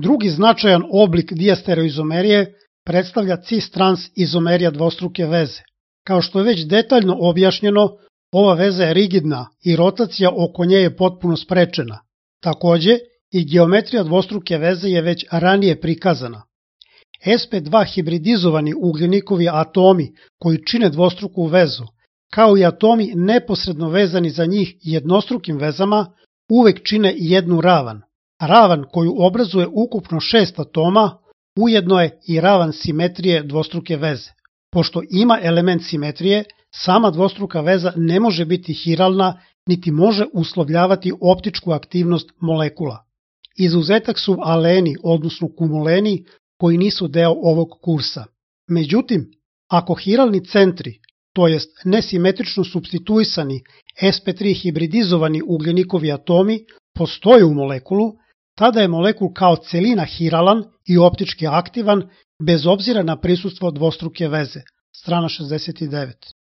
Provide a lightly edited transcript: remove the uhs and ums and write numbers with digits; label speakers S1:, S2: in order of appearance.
S1: Drugi značajan oblik diastereoizomerije predstavlja cis-trans izomerija dvostruke veze. Kao što je već detaljno objašnjeno, ova veza je rigidna i rotacija oko nje je potpuno sprečena. Takođe, i geometrija dvostruke veze je već ranije prikazana. sp2 hibridizovani ugljenikovi atomi koji čine dvostruku vezu, kao i atomi neposredno vezani za njih jednostrukim vezama, uvek čine jednu ravan. Ravan koju obrazuje ukupno 6 atoma, ujedno je i ravan simetrije dvostruke veze. Pošto ima element simetrije, sama dvostruka veza ne može biti hiralna, niti može uslovljavati optičku aktivnost molekula. Izuzetak su aleni, odnosno kumuleni, koji nisu deo ovog kursa. Međutim, ako hiralni centri, to jest nesimetrično supstituisani sp3 hibridizovani ugljenikovi atomi, postoje u molekulu, tada je molekul kao celina hiralan i optički aktivan bez obzira na prisustvo dvostruke veze. Strana 69.